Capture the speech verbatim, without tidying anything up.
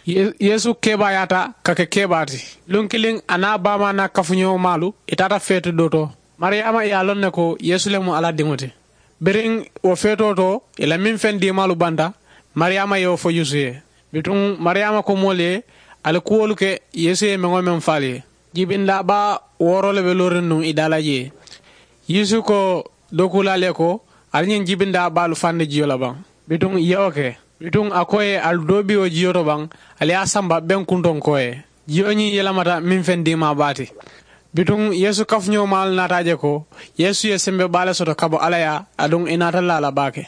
Yeesu keebaayaata ka ke keebaa ti. Luŋ kiliŋ a niŋ a baamaa niŋ a kafuñoo maalu i taata feeti doo to. Mariyaama ye a loŋ ne ko yeesu le mu alla diŋo ti. Biriŋ wo feetoo to i la meŋ feŋ diimaalu banta, mariyaama ye wo fo yuusu ye. Bituŋ mariyaama ko moolu ye ali kuwolu ke yeesu ye meŋ-wo-meŋ fo ali ye. Jibindaa baa wooroo le be looriŋ nuŋ i daa la jee. Yuusu ko dookuulaalu ye ko, ali ñiŋ jibindaa baalu fandi jiyo la baŋ? Bituŋ i ye wo ke. Bituŋ a ko ye ali doo bi wo jiyo to baŋ, ali ye a samba beŋ kuntoŋ ko ye. Jiyo ñiŋ yelemata meŋ feŋ diimaa baa ti. Bituŋ yeesu kafuñoo maalu naata a je ko yeesu ye sembe baa le soto ka bo alla yaa, aduŋ i naata laa la baake.